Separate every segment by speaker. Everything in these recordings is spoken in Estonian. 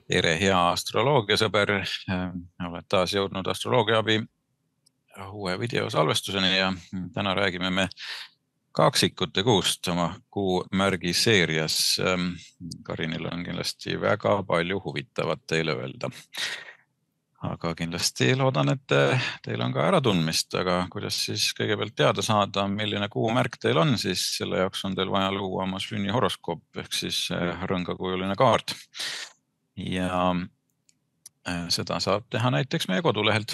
Speaker 1: Tere, hea astroloogiasõber. Oled taas jõudnud astroloogia abi uue videosalvestuseni ja täna räägime me kaksikute kuust oma kuumärgi seerias. Karinil on kindlasti väga palju huvitavat teile öelda. Aga kindlasti loodan, et teil on ka äratundmist, aga kuidas siis kõigepealt teada saada, milline kuumärk teil on, siis selle jaoks on teil vaja luua oma sünnihoroskoop ehk siis rõngakujuline kaart. Ja seda saab teha näiteks meie kodulehelt.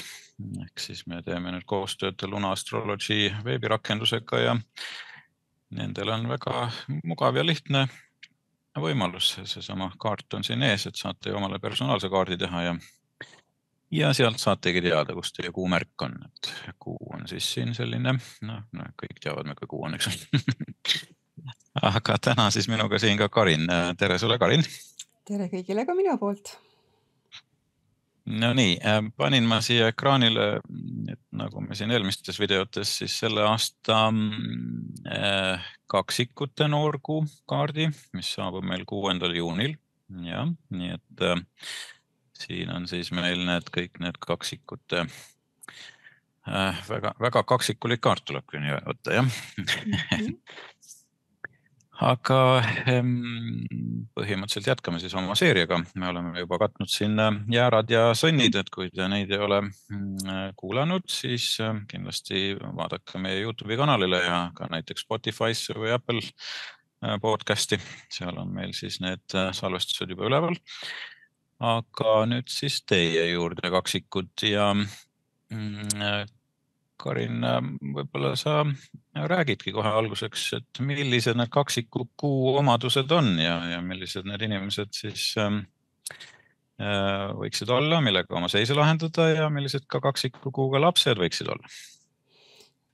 Speaker 1: Ehk siis me teeme nüüd koostööd Luna Astrology veebirakendusega ja nendel on väga mugav ja lihtne võimalus. Seesama kaart on siin ees, et saate omale personaalse kaardi teha ja sealt saategi teada, kus teie kuumärk on. Et kuu on siis siin selline, kõik teavad me, kui kuu on, eks. Aga täna siis minuga siin ka Karin. Tere sulle, Karin!
Speaker 2: Tere kõigile ka minu poolt!
Speaker 1: No nii, panin ma siia ekraanile, et nagu me siin eelmistes videotes, siis selle aasta kaksikute noorkuu kaardi, mis saabub meil 6. juunil. Ja, nii et siin on siis meil kõik need kaksikute, väga kaksikulik kaart tuleb küll nii võtta, jah. Aga põhimõtteliselt jätkame siis oma seeriaga. Me oleme juba katnud siin jäärad ja sõnnid, et kui te neid ei ole kuulanud, siis kindlasti vaadake meie YouTube'i kanalile ja ka näiteks Spotify'sse või Apple podcasti. Seal on meil siis need salvestused juba üleval. Aga nüüd siis teie juurde kaksikud ja Karin, võib-olla sa räägidki kohe alguseks, et millised need kaksiku kuu omadused on ja millised need inimesed siis võiksid olla, millega oma seise lahendada ja millised ka kaksiku kuuga lapsed võiksid olla?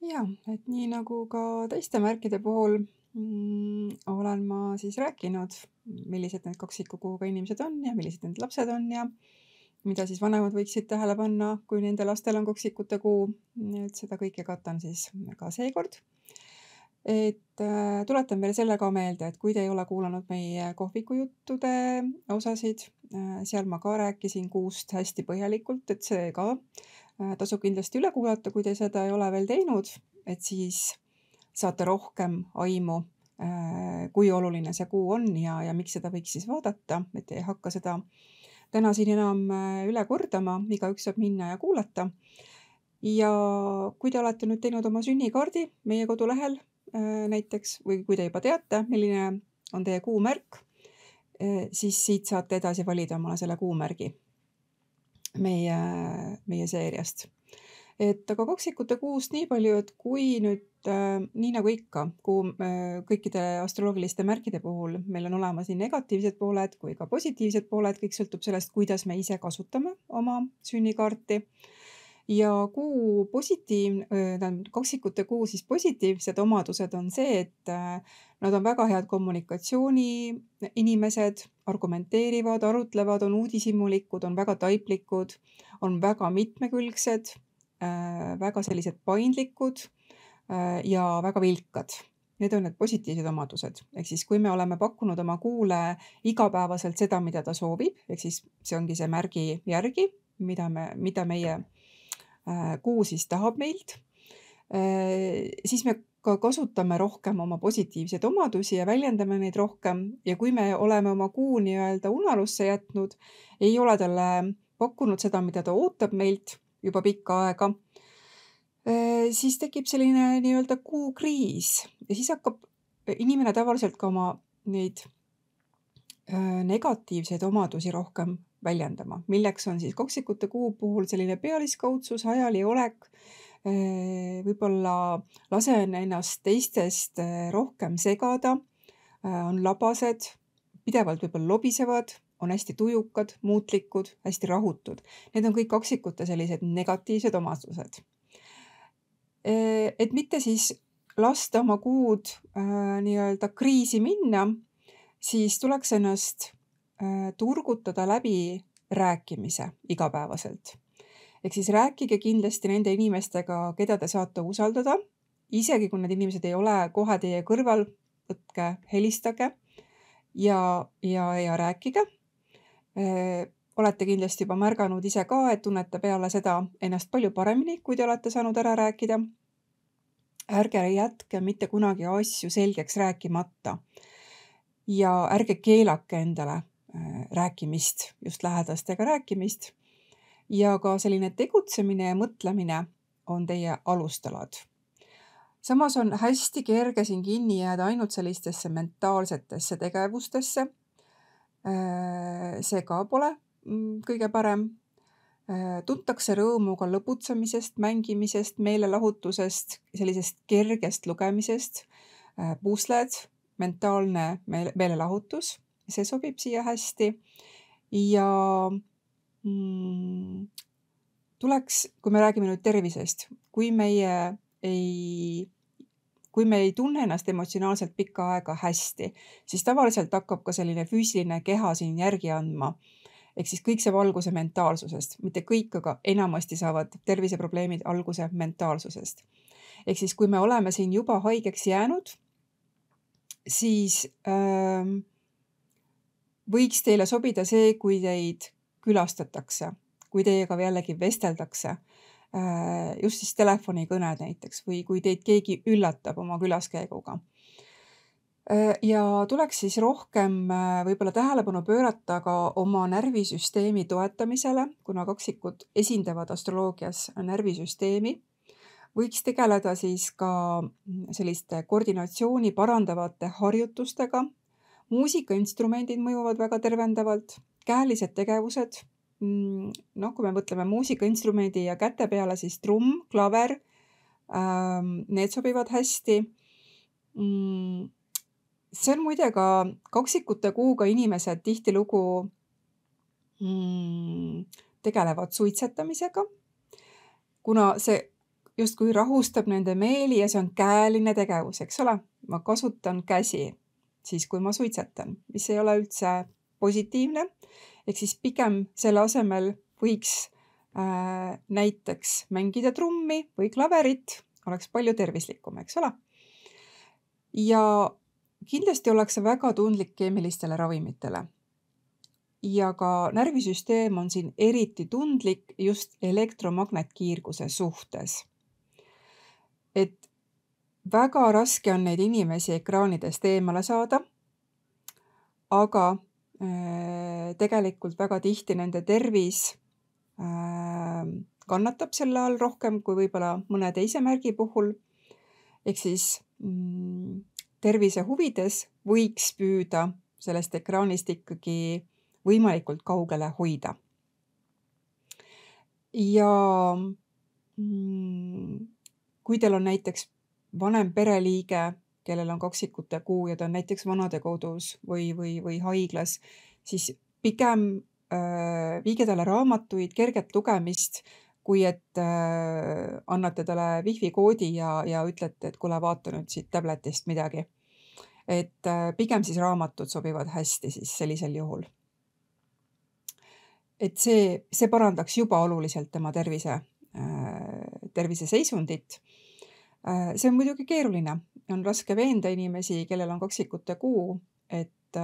Speaker 2: Ja, et nii nagu ka teiste märkide puhul olen ma siis rääkinud, millised need kaksiku kuuga inimesed on ja millised need lapsed on ja mida siis vanemad võiksid tähele panna, kui nende lastel on kaksikute kuu. Et seda kõike katan siis ka seekord. Et tuletan veel selle ka meelde, et kui te ei ole kuulanud meie kohvikujuttude osasid, seal ma ka rääkisin kuust hästi põhjalikult, et see ka tasub kindlasti üle kuulata, kui te seda ei ole veel teinud, et siis saate rohkem aimu, kui oluline see kuu on ja miks seda võiks siis vaadata, et ei hakka seda täna siin enam üle kordama, igaüks saab minna ja kuulata. Ja kui te olete nüüd teinud oma sünnikaardi meie kodulehel näiteks, või kui te juba teate, milline on teie kuumärk, siis siit saate edasi valida omale selle kuumärgi meie seeriast. Et aga kaksikute kuust nii palju, et kui nüüd nii nagu ikka, kõikide astroloogiliste märkide puhul meil on olemas nii negatiivsed pooled kui ka positiivsed pooled, kõik sõltub sellest, kuidas me ise kasutame oma sünnikaarti. Ja kaksikute kuu siis positiivsed omadused on see, et nad on väga head kommunikatsiooni inimesed, argumenteerivad, arutlevad, on uudishimulikud, on väga taiplikud, on väga mitmekülgsed, väga sellised paindlikud ja väga vilkad. Need on need positiivsed omadused. Ehk siis, kui me oleme pakkunud oma kuule igapäevaselt seda, mida ta soovib, ehk siis see ongi see märgi järgi, mida meie kuu siis tahab meilt, siis me ka kasutame rohkem oma positiivseid omadusi ja väljendame neid rohkem. Ja kui me oleme oma kuu nii-öelda unarusse jätnud, ei ole talle pakkunud seda, mida ta ootab meilt juba pikka aega, siis tekib selline nii-öelda kuukriis ja siis hakkab inimene tavaliselt ka oma neid negatiivseid omadusi rohkem väljendama, milleks on siis kaksikute kuu puhul selline pealiskaudsus, hajali olek, võib-olla lasen ennast teistest rohkem segada, on labased, pidevalt võib-olla lobisevad, on hästi tujukad, muutlikud, hästi rahutud. Need on kõik kaksikute sellised negatiivsed omadused. Et mitte siis lasta oma kuud nii-öelda kriisi minna, siis tuleks ennast turgutada läbi rääkimise igapäevaselt. Ehk siis rääkige kindlasti nende inimestega, keda te saate usaldada. Isegi kui need inimesed ei ole kohe teie kõrval, võtke, helistage ja rääkige. Olete kindlasti juba märganud ise ka, et tunnete peale seda ennast palju paremini, kui te olete saanud ära rääkida. Ärge jätke mitte kunagi asju selgeks rääkimata ja ärge keelake endale rääkimist, just lähedastega rääkimist. Ja ka selline tegutsemine ja mõtlemine on teie alustalad. Samas on hästi kerge siin kinni jääda ainult sellistesse mentaalsetesse tegevustesse. See ka pole kõige parem. Tuntakse rõõmu ka lõbutsemisest, mängimisest, meelelahutusest, sellisest kergest lugemisest, pusled, mentaalne meelelahutus, see sobib siia hästi. Ja tuleks, kui me räägime nüüd tervisest, kui me ei tunne ennast emotsionaalselt pikka aega hästi, siis tavaliselt hakkab ka selline füüsiline keha siin järgi andma. Ehk siis kõik see alguse mentaalsusest, mitte kõik, aga enamasti saavad terviseprobleemid alguse mentaalsusest. Ehk siis kui me oleme siin juba haigeks jäänud, siis võiks teile sobida see, kui teid külastatakse, kui teiega jällegi vesteldakse, just siis telefonikõned näiteks, või kui teid keegi üllatab oma külaskäiguga. Ja tuleks siis rohkem võib-olla tähelepanu pöörata ka oma närvisüsteemi toetamisele, kuna kaksikud esindavad astroloogias närvisüsteemi. Võiks tegeleda siis ka selliste koordinatsiooni parandavate harjutustega. Muusikainstrumendid mõjuvad väga tervendavalt, käelised tegevused. Kui me mõtleme muusikainstrumendi ja käte peale, siis trumm, klaver, need sobivad hästi. See on muide ka kaksikute kuuga inimesed tihtilugu tegelevad suitsetamisega, kuna see justkui rahustab nende meeli ja see on käeline tegevus, eks ole. Ma kasutan käsi siis, kui ma suitsetan, mis ei ole üldse positiivne. Ehk siis pigem selle asemel võiks näiteks mängida trummi või klaverit, oleks palju tervislikum, eks ole. Ja kindlasti ollakse väga tundlik keemilistele ravimitele. Ja ka närvisüsteem on siin eriti tundlik just elektromagnetkiirguse suhtes. Et väga raske on neid inimesi ekraanidest eemale saada, aga tegelikult väga tihti nende tervis kannatab selle all rohkem kui võib-olla mõne teise märgi puhul. Ehk siis tervise huvides võiks püüda sellest ekraanist ikkagi võimalikult kaugele hoida. Ja kui teil on näiteks vanem pereliige, kellel on kaksikute kuu ja ta on näiteks vanadekodus või haiglas, siis pigem viige talle raamatuid, kerget lugemist, kui et annate talle wifi koodi ja ütlete, et kuule, vaata nüüd siit tabletist midagi. Et pigem siis raamatud sobivad hästi siis sellisel juhul. Et see parandaks juba oluliselt tema tervise seisundit. See on muidugi keeruline. On raske veenda inimesi, kellel on kaksikute kuu, et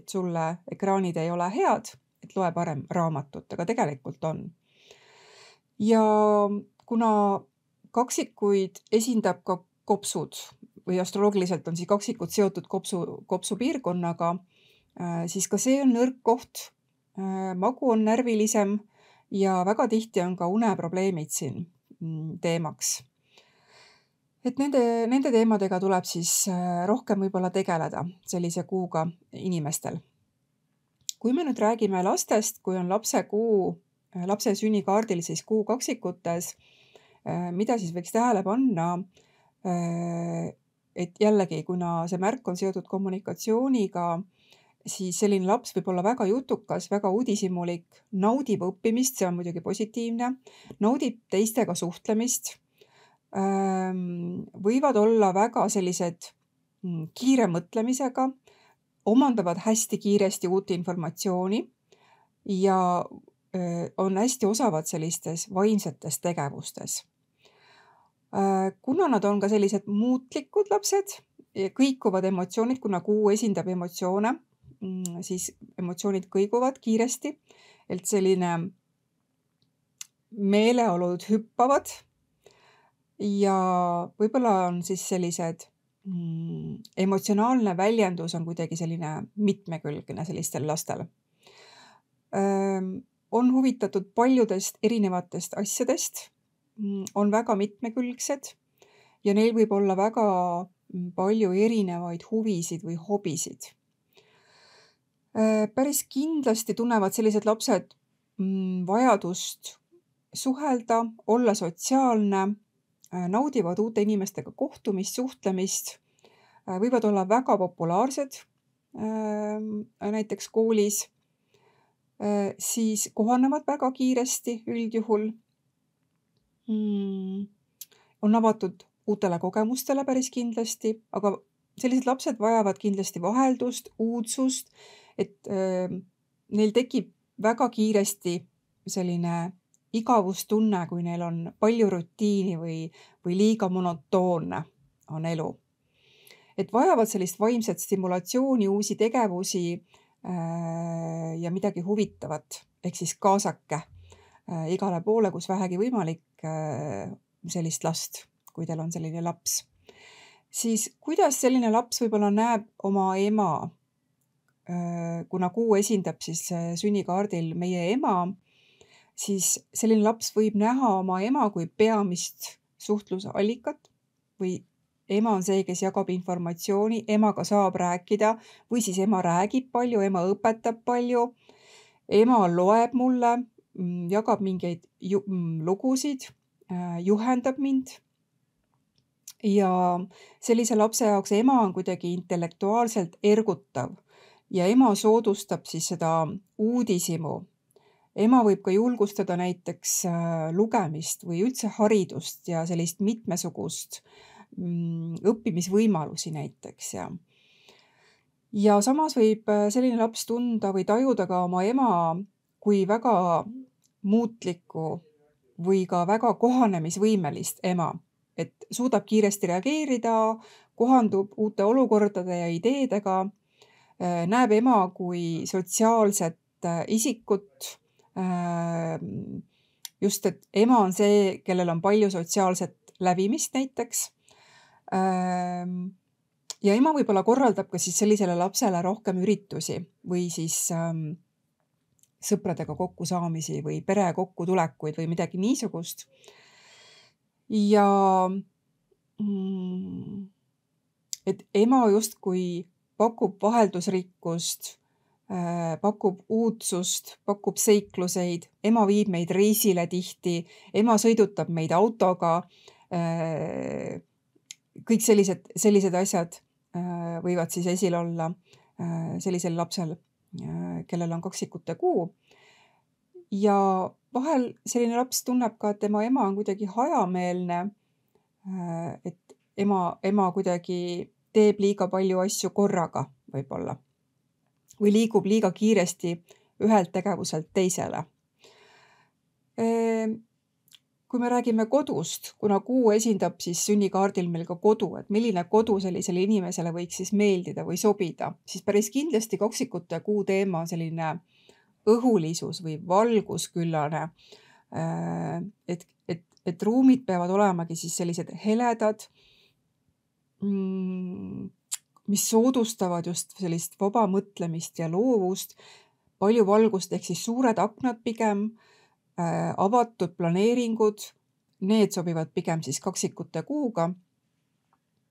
Speaker 2: sulle ekraanid ei ole head, et loe parem raamatut, aga tegelikult on. Ja kuna kaksikuid esindab ka kopsud või astroloogiliselt on siis kaksikud seotud kopsu piirkonnaga, siis ka see on nõrk koht. Magu on närvilisem ja väga tihti on ka uneprobleemid siin teemaks. Et nende teemadega tuleb siis rohkem võib-olla tegeleda sellise kuuga inimestel. Kui me nüüd räägime lastest, kui on lapse sünnikaardil siis kuu kaksikutes, mida siis võiks tähele panna, et jällegi, kuna see märk on seotud kommunikatsiooniga, siis selline laps võib olla väga jutukas, väga uudishimulik, naudib õppimist, see on muidugi positiivne, naudib teistega suhtlemist, võivad olla väga sellised kiire mõtlemisega, omandavad hästi kiiresti uut informatsiooni ja on hästi osavad sellistes vaimsetes tegevustes. Kuna nad on ka sellised muutlikud lapsed, kõikuvad emotsioonid, kuna kuu esindab emotsioone, siis emotsioonid kõiguvad kiiresti, et selline meeleolud hüppavad ja võib-olla on siis sellised emotsionaalne väljendus on kuidagi selline mitmekülgne sellistel lastel. On huvitatud paljudest erinevatest asjadest, on väga mitmekülgsed ja neil võib olla väga palju erinevaid huvisid või hobisid. Päris kindlasti tunnevad sellised lapsed vajadust suhelda, olla sotsiaalne, naudivad uute inimestega kohtumist, suhtlemist, võivad olla väga populaarsed näiteks koolis, siis kohanevad väga kiiresti üldjuhul, on avatud uutele kogemustele päris kindlasti, aga sellised lapsed vajavad kindlasti vaheldust, uudsust, et neil tekib väga kiiresti selline igavustunne, kui neil on palju rutiini või liiga monotoonne on elu. Et vajavad sellist vaimset stimulatsiooni, uusi tegevusi ja midagi huvitavat, ehk siis kaasake igale poole, kus vähegi võimalik sellist last, kui teil on selline laps. Siis kuidas selline laps võib-olla näeb oma ema, kuna kuu esindab siis sünnikaardil meie ema, siis selline laps võib näha oma ema kui peamist suhtlusallikat või ema on see, kes jagab informatsiooni, emaga saab rääkida või siis ema räägib palju, ema õpetab palju, ema loeb mulle, jagab mingeid lugusid, juhendab mind. Ja sellise lapse jaoks ema on kuidagi intellektuaalselt ergutav ja ema soodustab siis seda uudishimu. Ema võib ka julgustada näiteks lugemist või üldse haridust ja sellist mitmesugust õppimisvõimalusi näiteks. Ja samas võib selline laps tunda või tajuda ka oma ema kui väga muutlikku või ka väga kohanemisvõimelist ema, et suudab kiiresti reageerida, kohandub uute olukordade ja ideedega, näeb ema kui sotsiaalset isikut, just, et ema on see, kellel on palju sotsiaalset lävimist näiteks. Ja ema võib-olla korraldab ka siis sellisele lapsele rohkem üritusi või siis sõpradega kokkusaamisi või pere kokkutulekuid või midagi niisugust. Ja et ema justkui pakub vaheldusrikkust, pakub uudsust, pakub seikluseid, ema viib meid reisile tihti, ema sõidutab meid autoga, kõik sellised asjad võivad siis esil olla sellisel lapsel, kellel on kaksikute kuu. Ja vahel selline laps tunneb ka, et tema ema on kuidagi hajameelne, et ema kuidagi teeb liiga palju asju korraga võib-olla või liigub liiga kiiresti ühelt tegevuselt teisele. Kui me räägime kodust, kuna kuu esindab siis sünnikaardil meil ka kodu, et milline kodu sellisele inimesele võiks siis meeldida või sobida, siis päris kindlasti kaksikute kuu teema on selline õhulisus või valgusküllane, et ruumid peavad olemagi siis sellised heledad, mis soodustavad just sellist vaba mõtlemist ja loovust, palju valgust ehk siis suured aknad pigem, avatud planeeringud, need sobivad pigem siis kaksikute kuuga.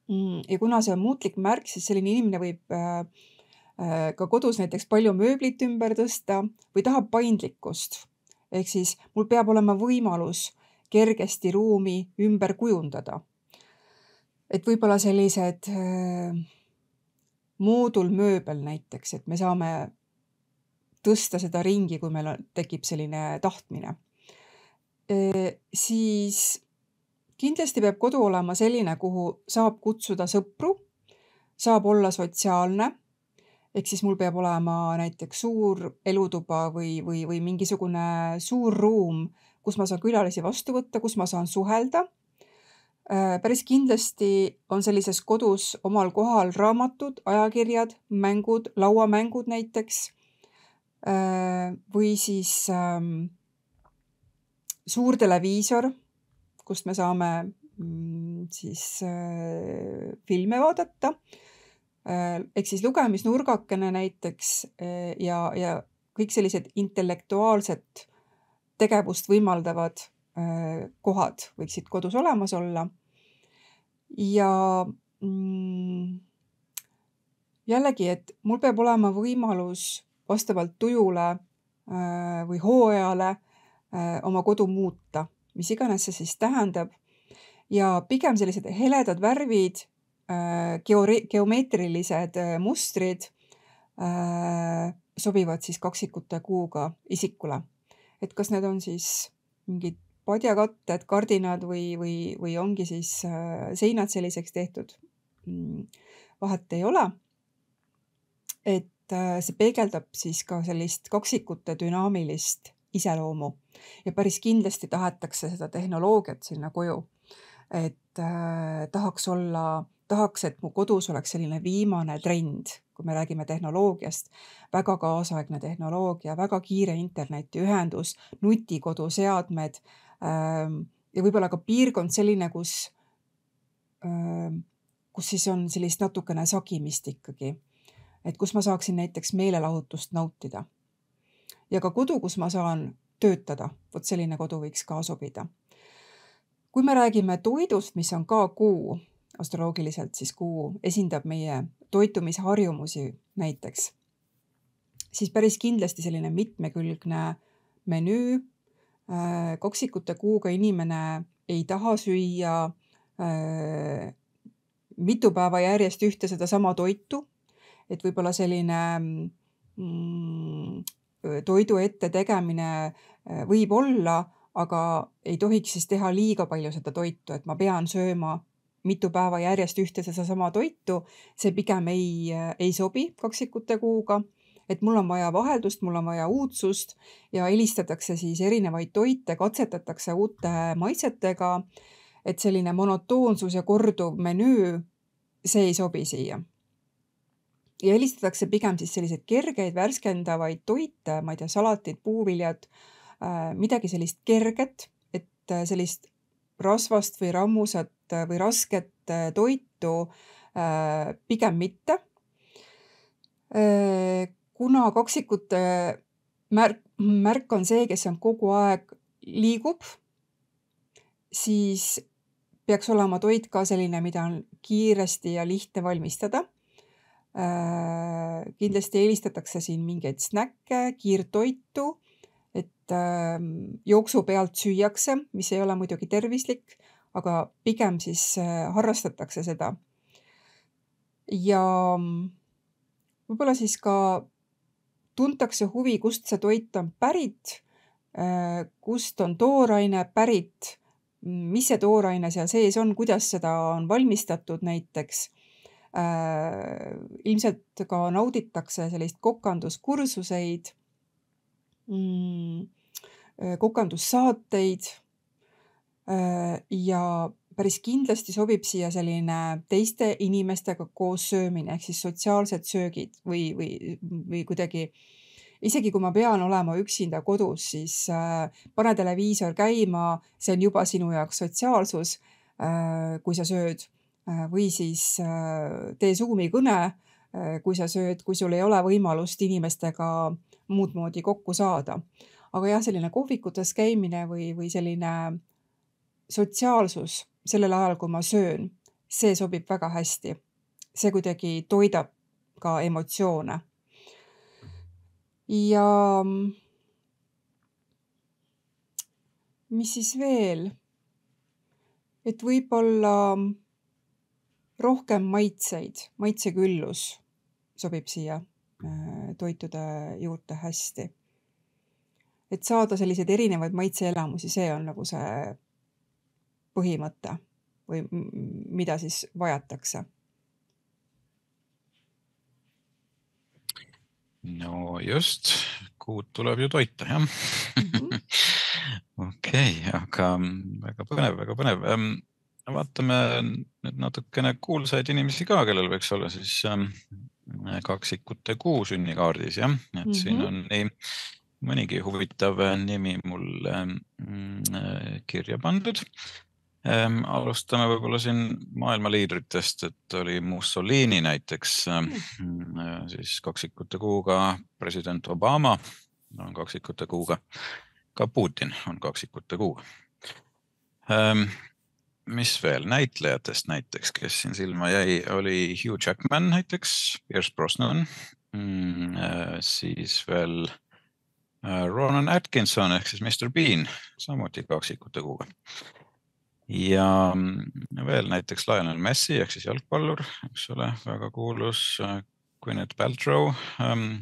Speaker 2: Ja kuna see on muutlik märk, siis selline inimene võib ka kodus näiteks palju mööblit ümber tõsta või tahab paindlikkust. Ehk siis mul peab olema võimalus kergesti ruumi ümber kujundada. Et võib-olla sellised moodulmööbel näiteks, et me saame tõsta seda ringi, kui meil tekib selline tahtmine. Siis kindlasti peab kodu olema selline, kuhu saab kutsuda sõpru, saab olla sotsiaalne, ehk siis mul peab olema näiteks suur elutuba või mingisugune suur ruum, kus ma saan külalisi vastu võtta, kus ma saan suhelda. Päris kindlasti on sellises kodus omal kohal raamatud, ajakirjad, mängud, lauamängud näiteks, või siis suur televiisor, kust me saame siis filme vaadata, ehk siis lugemisnurgakene näiteks ja kõik sellised intellektuaalset tegevust võimaldavad kohad võiksid kodus olemas olla. Ja jällegi, et mul peab olema võimalus vastavalt tujule või hooajale oma kodu muuta, mis iganes see siis tähendab. Ja pigem sellised heledad värvid, geomeetrilised mustrid sobivad siis kaksikute kuuga isikule. Et kas need on siis mingid padjakatted, kardinad või ongi siis seinad selliseks tehtud, vahet ei ole. Et see peegeldab siis ka sellist kaksikute dünaamilist iseloomu ja päris kindlasti tahetakse seda tehnoloogiat sinna koju. Et tahaks, et mu kodus oleks selline viimane trend, kui me räägime tehnoloogiast, väga kaasaegne tehnoloogia, väga kiire internetiühendus, nutikoduseadmed ja võib-olla ka piirkond selline, kus siis on sellist natukene sagimist ikkagi. Et kus ma saaksin näiteks meelelahutust nautida. Ja ka kodu, kus ma saan töötada, vot selline kodu võiks ka sobida. Kui me räägime toidust, mis on ka kuu, astroloogiliselt siis kuu esindab meie toitumisharjumusi näiteks, siis päris kindlasti selline mitmekülgne menüü. Kaksikute kuuga inimene ei taha süüa mitu päeva järjest ühte seda sama toitu, et võib-olla selline toidu ette tegemine võib olla, aga ei tohiks siis teha liiga palju seda toitu, et ma pean sööma mitu päeva järjest ühte seda sama toitu, see pigem ei sobi kaksikute kuuga, et mul on vaja vaheldust, mul on vaja uudsust ja helistatakse siis erinevaid toite, katsetatakse uute maitsetega, et selline monotoonsus ja korduv menüü, see ei sobi siia. Ja helistatakse pigem siis selliseid kergeid, värskendavaid toite, ma ei tea, salatid, puuviljad, midagi sellist kerget, et sellist rasvast või rammusat või rasket toitu pigem mitte. Kuna kaksikute märk on see, kes on kogu aeg liigub, siis peaks olema toit ka selline, mida on kiiresti ja lihtne valmistada. Kindlasti helistatakse siin mingeid snäkke, kiirtoitu, et jooksu pealt süüakse, mis ei ole muidugi tervislik, aga pigem siis harrastatakse seda. Ja võib-olla siis ka tuntakse huvi, kust see toit on pärit, kust on tooraine pärit, mis see tooraine seal sees on, kuidas seda on valmistatud näiteks. Ilmselt ka nauditakse sellist kokanduskursuseid, kokandussaateid ja päris kindlasti sobib siia selline teiste inimestega koos söömine, ehk siis sotsiaalsed söögid või kuidagi, isegi kui ma pean olema üksinda kodus, siis pane televiisor käima, see on juba sinu jaoks sotsiaalsus, kui sa sööd. Või siis tee Zoomi kõne, kui sa sööd, kui sul ei ole võimalust inimestega muud moodi kokku saada. Aga jah, selline kohvikutes käimine või selline sotsiaalsus sellel ajal, kui ma söön, see sobib väga hästi. See kuidagi toidab ka emotsioone. Ja mis siis veel? Et võib-olla rohkem maitseküllus sobib siia toitude juurde hästi. Et saada selliseid erinevaid maitseelamusi, see on nagu see põhimõte või mida siis vajatakse.
Speaker 1: No just, kuud tuleb ju toita, jah? Okei, aga väga põnev. vaatame nüüd natukene kuulsaid inimesi ka, kellel võiks olla siis kaksikute kuu sünnikaardis, jah. Et siin on nii mõnigi huvitav nimi mul kirja pandud. Alustame võib-olla siin maailma liidritest, et oli Mussolini näiteks, siis kaksikute kuuga, president Obama on kaksikute kuuga, ka Putin on kaksikute kuuga. Mis veel näitlejatest näiteks, kes siin silma jäi, oli Hugh Jackman näiteks, Pierce Brosnan, siis veel Ronan Atkinson ehk siis Mr. Bean, samuti kaksikute kuuga. Ja veel näiteks Lionel Messi ehk siis jalgpallur, eks ole, väga kuulus, Gwyneth Paltrow,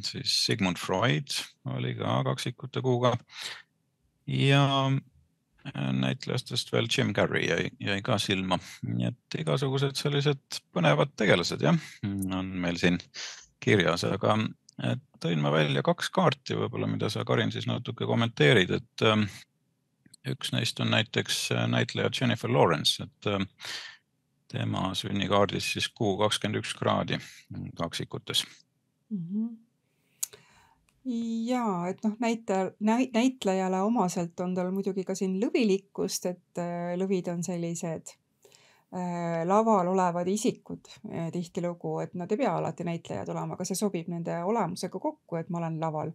Speaker 1: siis Sigmund Freud oli ka kaksikute kuuga ja näitlejastest veel Jim Carrey jäi ka silma. Nii et igasugused sellised põnevad tegelased, jah, on meil siin kirjas, aga tõin ma välja 2 kaarti võib-olla, mida sa, Karin, siis natuke kommenteerid, et üks neist on näiteks näitleja Jennifer Lawrence, et tema sünnikaardis siis kuu 21 kraadi kaksikutes.
Speaker 2: Jaa, et näitlejale omaselt on tal muidugi ka siin lõvilikkust, et lõvid on sellised laval olevad isikud tihtilugu, et nad ei pea alati näitlejad olema, aga see sobib nende olemusega kokku, et ma olen laval.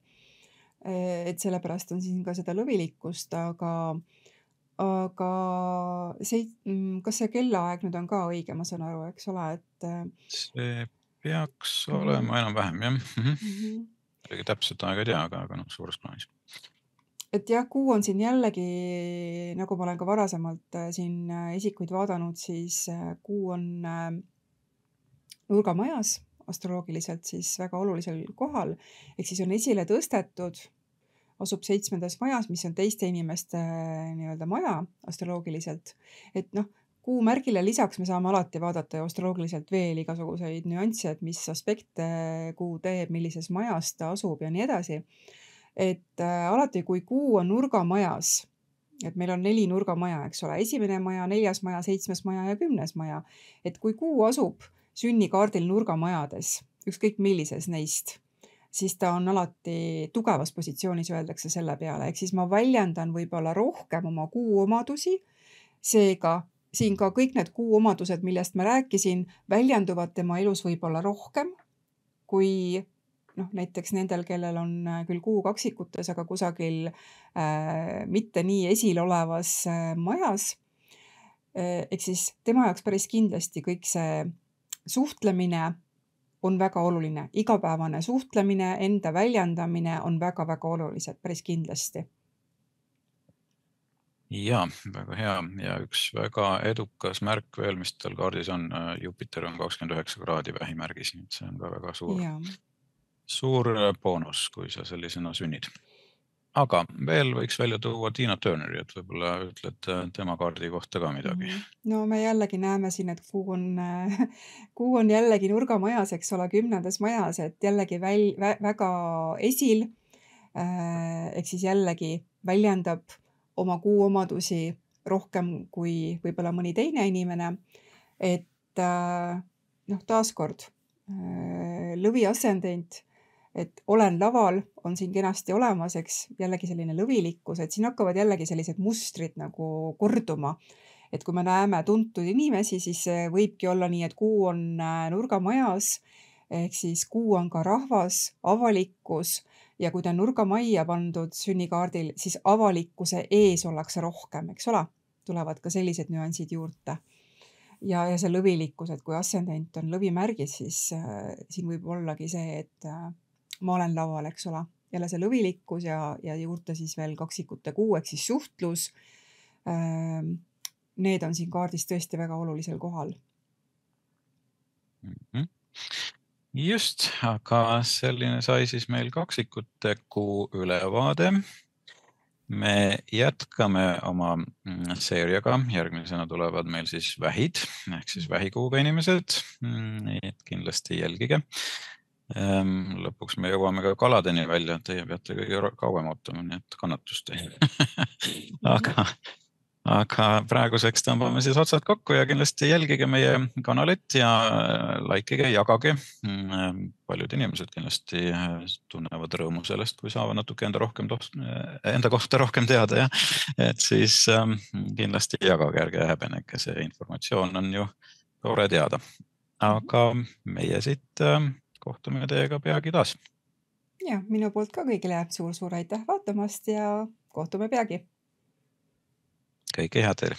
Speaker 2: Et sellepärast on siin ka seda lõvilikkust, aga kas see kellaaeg nüüd on ka õige, ma saan aru, eks ole, et
Speaker 1: see peaks olema enam-vähem, jah. Täpselt aega ei tea, aga suures plaanis.
Speaker 2: Et jah, kuu on siin jällegi, nagu ma olen ka varasemalt siin isikuid vaadanud, siis kuu on nurgamajas astroloogiliselt siis väga olulisel kohal, ehk siis on esile tõstetud, asub 7. majas, mis on teiste inimeste nii-öelda maja astroloogiliselt. Et kuu märgile lisaks me saame alati vaadata astroloogiliselt veel igasuguseid nüansse, et mis aspekte kuu teeb, millises majas ta asub ja nii edasi. Et alati, kui kuu on nurgamajas, et meil on 4 nurgamaja, eks ole, 1. maja, 4. maja, 7. maja ja 10. maja. Et kui kuu asub sünnikaardil nurgamajades, ükskõik millises neist, siis ta on alati tugevas positsioonis, öeldakse selle peale. Ehk siis ma väljendan võib-olla rohkem oma kuu omadusi, seega siin ka kõik need kuu omadused, millest ma rääkisin, väljenduvad tema elus võib-olla rohkem kui näiteks nendel, kellel on küll kuu kaksikutes, aga kusagil mitte nii esil olevas majas. Ehk siis tema jaoks päris kindlasti kõik see suhtlemine on väga oluline. Igapäevane suhtlemine, enda väljendamine on väga-väga olulised, päris kindlasti.
Speaker 1: Ja, väga hea. Ja üks väga edukas märk veel, mis tal kaardis on, Jupiter on 29 kraadi vähimärgis, nii et see on ka väga suur boonus, kui sa sellisena sünnid. Aga veel võiks välja tuua Tina Turneri, et võib-olla ütled tema kaardi kohta ka midagi.
Speaker 2: No me jällegi näeme siin, et kuu on jällegi nurgamajas, eks ole, 10. majas, et jällegi väga esil, ehk siis jällegi väljendab oma kuu omadusi rohkem kui võib-olla mõni teine inimene. Et taaskord lõvi ascendent, et olen laval, on siin kenasti olemas, eks jällegi selline lõvilikkus, et siin hakkavad jällegi sellised mustrid nagu korduma. Et kui me näeme tuntud inimesi, siis võibki olla nii, et kuu on nurgamajas, ehk siis kuu on ka rahvas, avalikkus, ja kui ta on nurgamajja pandud sünnikaardil, siis avalikkuse ees ollakse rohkem, eks ole, tulevad ka sellised nüansid juurde. Ja see lõvilikkus, et kui ascendent on lõvimärgis, siis siin võib ollagi see, et ma olen laval, eks ole, jälle see lõvilikkus ja juurde siis veel kaksikute kuu, ehk siis suhtlus. Need on siin kaardis tõesti väga olulisel kohal.
Speaker 1: Just, aga selline sai siis meil kaksikute kuu ülevaade. Me jätkame oma seeriaga, järgmisena tulevad meil siis vähid, ehk siis vähikuuga inimesed, et kindlasti jälgige. Lõpuks me jõuame ka kaladeni välja, teie peate kõige kauem ootama, nii et kannatust. aga praeguseks tõmbame siis otsad kokku ja kindlasti jälgige meie kanalit ja likeige, jagage. Paljud inimesed kindlasti tunnevad rõõmu sellest, kui saavad natuke enda kohta rohkem teada ja et siis kindlasti jagage, ärge häbenege, see informatsioon on ju tore teada. Aga meie siit kohtume teiega peagi taas.
Speaker 2: Ja minu poolt ka kõigile suur-suur aitäh vaatamast ja kohtume peagi.
Speaker 1: Kõike head teile!